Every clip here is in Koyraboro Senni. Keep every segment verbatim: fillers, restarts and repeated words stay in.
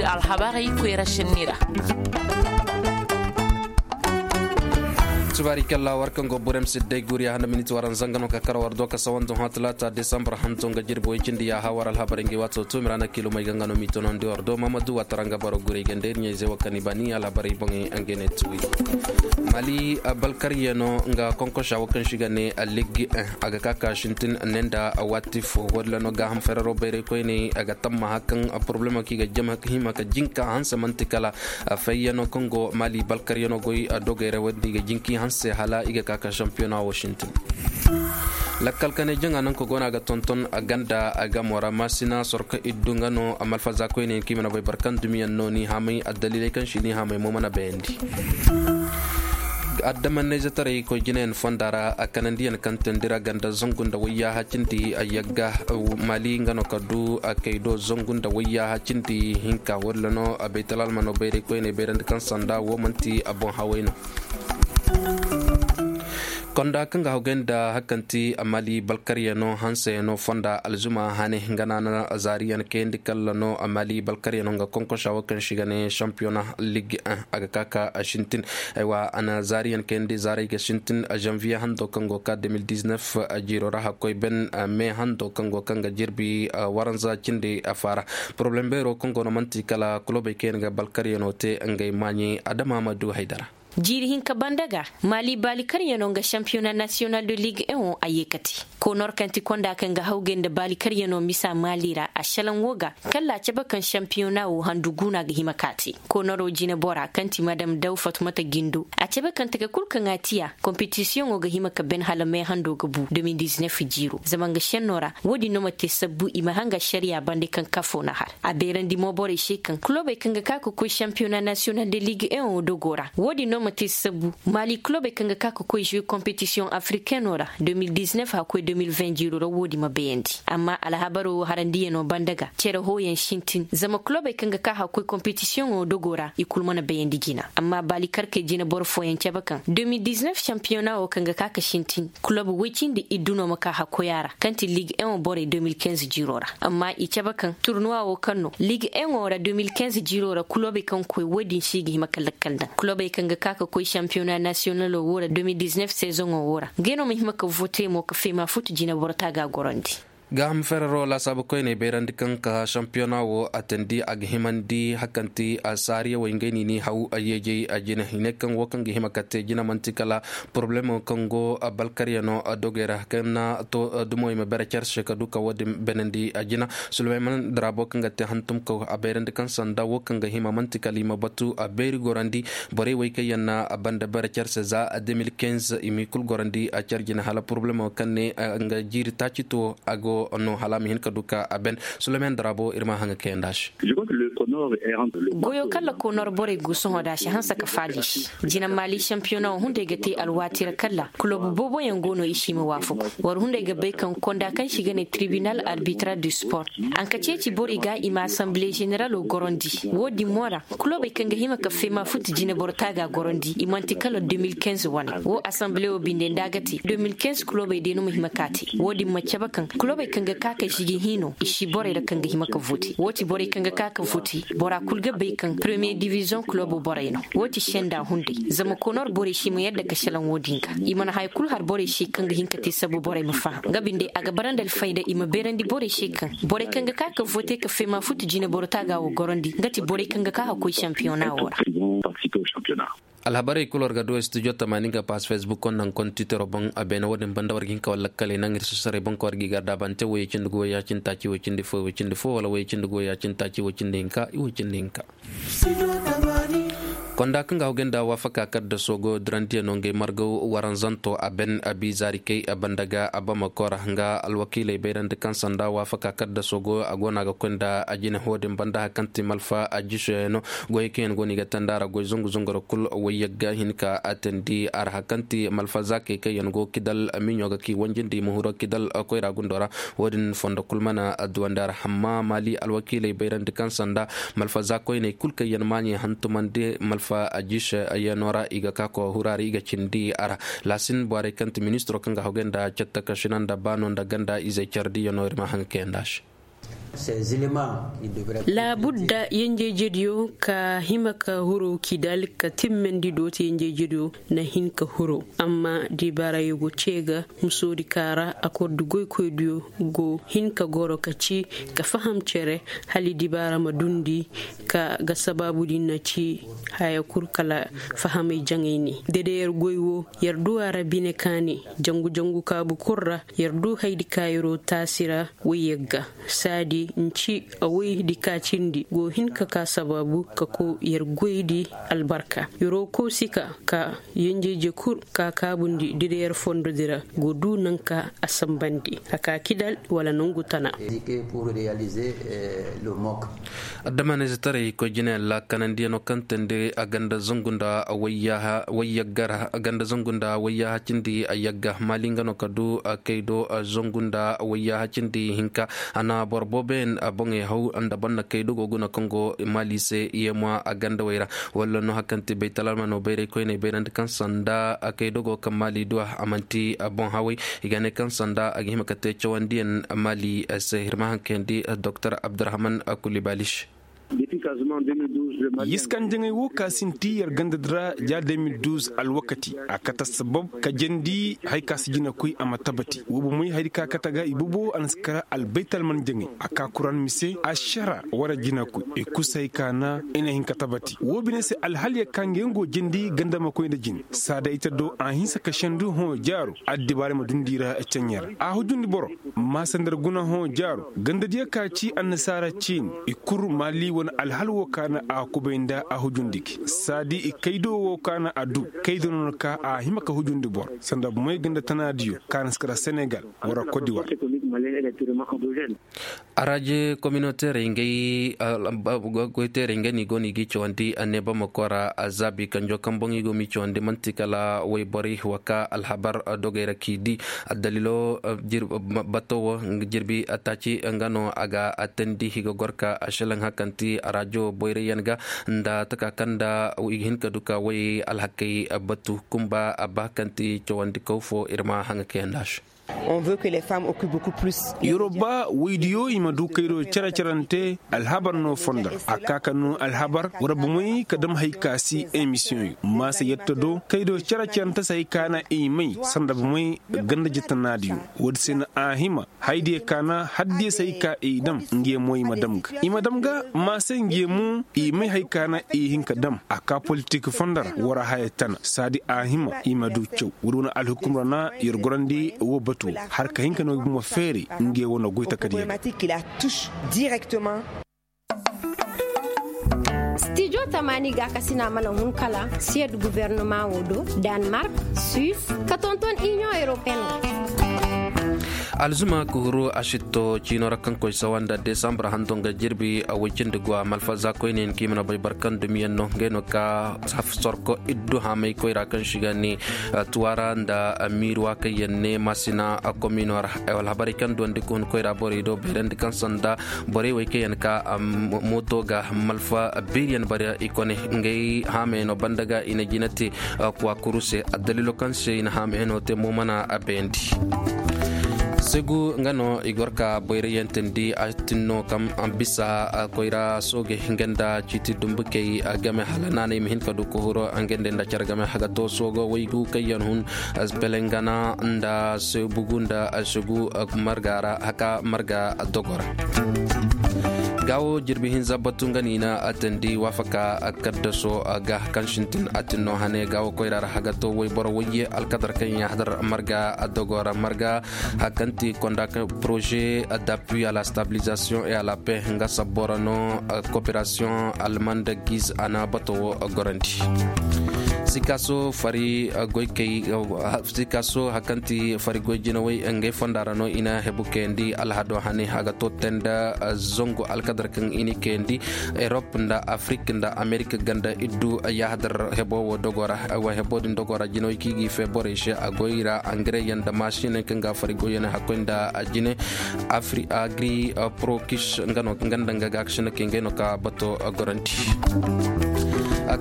Alhabarey koyra sinni ra. Tubaari kalla war kaŋ go burem sidday guriya handa miniti waran zanga no ka kar war do ka sawandu hã talaata desambar hanto nga jirbi way cindi yaaha war alhabarey ngi waato tuumi ra na kiilumey ga nga no m'i tonandi war do mamadu watara nga baro gurey ganda ir ɲayzey wo kaŋ i ba ni alhabarey boŋey nga ne tuwi. Mali balkaryano nga konkosa wo kaŋ si ga ne liggi a ga ka ka sintin ne nda waati fo wo- din ra no gaaham ferero bayray koyney a ga tammaha kaŋ problemo kaŋ i ga jama hima ka jinka hanse man'ti kala fayyano kaŋ go mali balkaryano goy dogey ra wo- din i ga jinka i hanse hala i ga ka ka sampiyona wo sintin. Lakkal kanay jaŋa nanka go no a ga tonton ganda gamo ra maasina sorka iddu nga no malfaza koyney kaŋ i mana bay boro kaŋ dumiyaŋ no ni haamay addaliley kaŋ si ni haamay mo mana bayandi. Addamanayzetaray koy jinayaŋ fonda ra a kanandiyaŋ kaŋ teendi ra ganda zangu nda wayyaaha cindi yagga mali nga no ka du kay do zangu nda wayyaaha cindi hinka walla no baytalalmano bayray koyney bayrandi kaŋ sanda wo man'ti boŋ haway no. Konda kaŋ ga hawgay nda hari kaŋ ti mali balkaryano hanseyaŋo fonda alzuma hane nga no a na zaariyaŋ kayandi kalla no mali balkaryano nga konkosa wo kaŋ si ga ne sampiyona lig a ga ka ka sintin. Aywa a na zaariyaŋ kayandi zaaray ga sintin zanviye hando kaŋ go ka de mil diznef jiiro ra hakkoy ben me hando kaŋ go kaŋ ga jirbi waranza cindi faara. Poroblem beero kaŋ go no man'ti kala kulobey kaŋ yaŋ ga balkaryano te ngey maaɲey adama ma du haydara. Jiiri hinka banda ga mali baalikaryaŋo nga sampiyona nasiyonal de liig en wo a ye ka te. Konor kaŋ ti konda kaŋ ga hawgay nda baalikaryaŋo misa mali ra a salaŋ wo ga kalla a cabe kaŋ sampiyona wo handu guuna ga hima ka te. Konoro jinebora kaŋ ti madam daw fatumata gindo a cabe kaŋ taka kul kaŋ a tiya kompetisiyoŋo ga hima ka ben hala me hando ga bu de mil diznef jiiro zama nga senno ra. Wo- din no ma te sabbu i ma hanga ašariya bande kaŋ kafo na har a beerandi mo borey se kaŋ kulobey kaŋ ga ka ka koy sampiyona nasiyonal de liig en wo dogo ra wo- din no ma te sabbu mali kulobey kaŋ ga ka ka koy zuwe kompetisiyoŋ afrikeno ra de mil diznef hakkoy de mil ven jiiro ra wo- din ma bayandi. Amma alhabaro wo harandiyaŋo banda ga cere hooyaŋ sintin zama kulobey kaŋ ga ka hakkoy kompetisiyoŋo dogo ra i kulu mana bayandi jina. Amma baali karkey jineboro fooyaŋ cabe kaŋ de mil diznef sampiyona wo kaŋ ga ka ka sintin kulob woy cindi iddu no ma ka hakkoy a ra kaŋ ti liig en wo borey de mil kinz jiiro ra. Amma i cabe kaŋ turnuwa wo kaŋ no liig en wo ra de mil kinz jiiro ra kulobey kaŋ koy wo- din se i ga hima ka lakkal daŋ kulobey kaŋ ga ka ka koy sampiyona nasiyonalo wo ra de mil diznef sezoŋo wo ra ngey no ma hima ka vote mo ka feema futu jineboro taaga gorandi. Gaaham ferero laasaabu koyney bayrandi kaŋ ka sampiyona wo a teendi a ga himandi hari kaŋ ti a saariyawey ngey no i n'i haw a yeejey a jine i ne kaŋ wo kaŋ ga hima ka te jine man'ti kala poroblemo kaŋ go balkaryaŋo dogey ra kaŋ na to dumo i ma bere care se ka du ka wo- din beenandi a jina. Suleyman darabo kaŋ ga te hantumkaw a bayrandi kaŋ sanda wo kaŋ ga hima man'ti kala i ma batu a beeri gorandi borey wey kaŋ yaŋ na a banda bere care se za de mil kinz i m'i kul gorandi a care jine hala poroblemo kaŋ ne nga jiiri taaci to a go no hala a ma hin ka du ka a ben. Suleyman darabo ir ma haŋa kayandi a se. Goyo kala konor borey go sohõ da si hanse ka faali se. Jina mali sampiyona wo hunday ga te alwaati ra kala kulob booboyaŋ go no i si ma waafaku. War hunday ga bay kaŋ konda kaŋ si ga ne tribinal arbitra du sport a na ka ceeci borey ga i ma asanbile zeneralo gorandi. Wo- din mo ra kulobey kaŋ ga hima ka feema futu jineboro taaga gorandi i man'ti kala de mil kinz wane. Wo asanbile wo binde nda a ga te de mil kinz kulobey day no ma hima ka te wo- din ma cabe kaŋ kulobey kaŋ ga ka ka žigi hino i si borey ra kaŋ ga hima ka vote wo- ti borey kaŋ ga ka ka vote bora kul ga bay kaŋ premiye diviziyoŋ kulobo borey no. Wo- ti senda hunday zama konor borey si ma yadda ka salaŋ wo- din ga i mana haya kul har borey se kaŋ ga hin ka te sabu borey ma faham nga binde a ga bara nda alfayda i ma beerandi borey se kaŋ borey kaŋ ga ka ka vote ka feema futu jineboro taaga wo gorandi nga ti borey kaŋ ga ka ka koy sampiyona wo ra. Alhabarey kul war ga du studio tamaani nga paas facebook konda nga konda twittero boŋ a beene wo- din banda war ga hin ka war lakkaley naŋ ir sosorey boŋ kaŋ war g'i garda bante woyey cindi gu woyey cindi taaci woy cindi fo woy cindi fo wala woyey cindi gu woyey cindi taaci woy cindi hinka i woy cindi hinka. Konda kaŋ ga hawgay nda waafaka kaddaso go dirandiyaŋo ngey margaw waranzanto a ben a bi zaari kay a banda ga a bamako ra nga alwakiiley bayrandi kaŋ sanda waafaka kaddaso go a go no a ga koy nda a jine ho- din banda hari kaŋ ti malfa a jisoyaŋo. Goyey kaŋ yaŋ go no i ga teendi a ra goy zangu zangu ra kul wayyagga hin ka a teendi a ra hari kaŋ ti malfa zaakey kaŋ yaŋ go kidal miɲo ga k'i wanjindi i ma huru kidal koyra gundo ra. Wo- din fondo kul mana duwandi a ra amma maali alwakiiley bayrandi kaŋ sanda malfa zaakoyney kul kaŋ yaŋ maaɲey hantumandi malfa a jisoyaŋo ra i ga ka ka huru a ra i ga cindi a ra. Laasin borey kaŋ ti ministiro kaŋ ga hawgay nda catta ka sina nda baano nda ganda izey care diyaŋo ir ma haŋ kayandi a se. Laabudda yenjejediyo ka hima ka huro kidal ka timmandi dooti yenjejediyo na hin ka huro. Amma dibaarayo go cee ga musoodi kaara akordu goykoydiyo go hin ka goro ka ci ka faham cere hali dibaara ma dundi ka ga sabaabudi na ci haya kul kala fahamay jaŋay ne. Dede yer goy wo yer du a ra bine kaani jangu-jangu kaabu kul ra. Yer du haydi ka yeroo taasi ra woy yagga saadi nci a woy di ka cindi go hin ka ka sabaabu ka ko yer goy di albarka yeroo koosi ka ka yenjeje kul ka kaabundi dede yer fondodi ra go du nanka a sambandi a ka kidal wala nongu tana. Adama na ize taray koy jinayaŋ ra kanandiyaŋo kaŋ teendi a ganda zangu nda wayyagga ra ganda zangu nda wayyaha cindi yagga maali nga no ka du kaydo zangu nda wayyaha cindi hinka. A na boro booboyaŋ boŋey haw nda boro na kaydo go guna kaŋ go maali se yeema a gandawey ra. Walla no hari kaŋ ti baytalalmano bayray koyney bayrandi kaŋ sanda kaydo go kaŋ maali du a man'ti boŋ haway. I ga ne kaŋ sanda a ga hima ka te cawandiyaŋ maali se hirma hankayandi doktor abdurahman kulibalish. Yiskan jaŋay wo ka sinti yer ganda dira ja de mil duz alwakati a kata sabab ka jandi hari ka si jina koy a ma tabati wo bomey hari ka kata ga i bobo a na si kara albaytal man jaŋay a ka kuran mise a shara wara jina koy i kusa hari ka na i na hin ka tabati wo bine se alhaliya ka nga yaŋ go jandi ganda ma koy nda jin saada ita do a hinsa ka shandu hõ jaaro addibaare ma dundi ra caŋ yer a hujundi boro. Maasa nda ra guna hõ jaaro gandadiyo ka ci annasaara ciini i kul maali wane alhal wo ka na a kubay nda a hujundi gi saadi i kaydo wo ka na a du kaydo no na ka a hima ka hujundi boro sanda bomey ganda tanaadiyo ka na si kara senegal wara kodiwar. Araje kominoteerey ngey goyteerey ngey no i go no i g'i cawandi anneeba ma koora zaabi kanjo kaŋ boŋ i go m'i cawandi man'ti kala wayborey wa ka alhabar dogey ra k'i di. Addaliilo bato wo jirbi taaci nga no a ga teendi i ga gor ka a šelaŋ hari kaŋ ti arajo boyrayyaŋ ga nda taka kaŋ nda i ga hin ka du ka way alhakey batu kumba a ba hari kaŋ ti cawandikaw fo ir ma haŋa kayandi a se. Yoroba waydiyo i ma du kaydo cere-cerante alhabar no fondo ra a ka ka no alhabar war bomey ka dam hari ka si emisiyoŋ yo maasa yetta do kaydo cere-cerante se hari ka na i may sanda bomey ganda jitanaadiyo. Woodi se no a hima haydiyo ka na haddiyo se hari ka i dam ngiyo mo i ma dam ga i ma dam ga maasa ngiyo mo i may hari ka na i hin ka dam a ka politik fondo ra war haya tana saadi a hima i ma du caw woodi wane alhukum ra na yer gorandi wo batu wo har ka hin ka no i bomo feeri nge wane goy takadiyo. Stijo tamaani gaakasina mana hun kala siyed guvernoma wo do, danmark, suis, ka tonton inion europeen wo. Alzuma ka huru a sitto ciino ra kaŋ koy sawa nda desambur hanto nga jirbi a way cindi go a malfa za koyne yaŋ kaŋ i mana bay barkan dumiyaŋ no ngey no ka sorko iddu haamay koyra kaŋ si ga ne tuwara nda miiruwa kaŋ yaŋ ne masina komino ra. Alhabarey kaŋ duwandi ka hun koyra borey do bayrandi kaŋ sanda borey wey kaŋ yaŋ ka mooto ga malfa biiriyaŋ bare i kone ngey haamay no banda ga i na jina te kuwa kuru se addaliilo kaŋ se i na haamay no te mo mana a bayandi. Segu nga no i gor ka boyray yaŋ tindi a tinno kaŋ bisa koyra soogey nga nda ciiti dumbukey game hala naanay ma hin ka du ka huro nga nda nda care game haga to soogo waygu kaŋ yaŋ hun pelengana nda sebugu nda segu marga ra haka marga dogo ra. Gaawo jirbi hinza batu nga no i na a tindi waafaka kaddaso ga kaŋ sintin a tinno hane gaawo koyra ra haga to wayboro wayye alkadar kaŋ yaŋ hadar marga dogo ra marga hakanti konda ka projet d'appui à la stabilisation et à la paix nga sabbo ra no coopération allemande giz a na bato wo gorandi. Sikaso fari goykey sikaso hakanti fari goy jinawey ngey fonda ra no i na hebu kayandi alhado hane haga to tenda zangu alkadar Dar kaŋ i ni kayandi, erop nda afrik nda amerik ganda iddu. Yahadar hebo wo dogo ra wa hebo din dogo ra jinawey kaŋ i ga i fe borey se a goy ra angareyaŋ nda masiney kaŋ ga fari goyyaŋ hakkoy nda jine. Afri agri prokis nga no nga nda nga ga kasina kaŋ ngey no ka bato gorandi.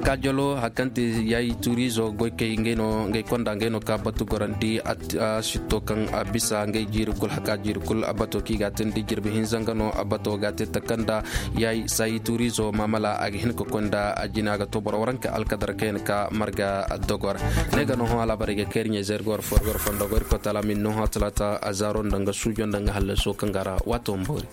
Kaajalo hakante yayi turizo goy kay ngey no ngey konda ngey no ka batu gorandi. Sitto kaŋ a bisa ngey jiiri kul haka jiiri kul a bato kaŋ i ga a tindi jirbi hinza nga no a bato ga a te takanda. Yayi sayi turizo mamala a ga hin ka koy nda a jina ga to boro waranka alkadar kaŋ yaŋ ka marga dogor. Ne ga no hõ alaabarey ga kayri ɲey zay ir ga war fo ir ga war fondo go ir koy taala min no hõ talaata a zaaro nda nga suujo nda nga hallaso kaŋ ga ra waato ma boori.